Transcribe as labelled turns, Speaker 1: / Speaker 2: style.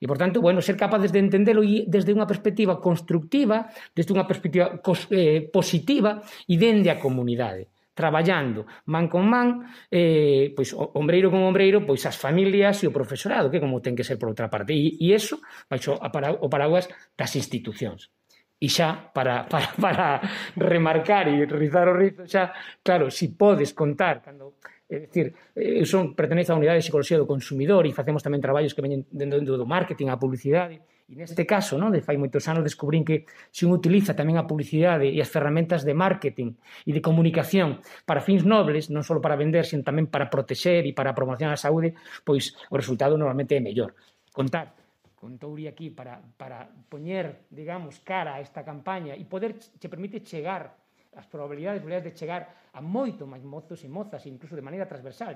Speaker 1: E, por tanto, bueno, ser capaces de entendelo desde unha perspectiva constructiva, desde unha perspectiva positiva e dende a comunidade, traballando man con man, pois ombreiro con ombreiro, pois as familias e o profesorado, que como ten que ser por outra parte. E iso baixo o paraguas das institucións. E xa, para remarcar e rizar o rizo, xa, claro, si podes contar, cando, é dicir, eu pertenezo á unidade de psicología do consumidor e facemos tamén traballos que veñen dentro do marketing, a publicidade, e neste caso, de fai moitos anos, descubrín que se un utiliza tamén a publicidade e as ferramentas de marketing e de comunicación para fins nobles, non só para vender, sino tamén para protexer e para promocionar a saúde, pois o resultado normalmente é mellor. Contar con Touri aquí para poñer, digamos, cara a esta campaña e poder che permite chegar as probabilidades de chegar a moito máis mozos e mozas, incluso de maneira transversal.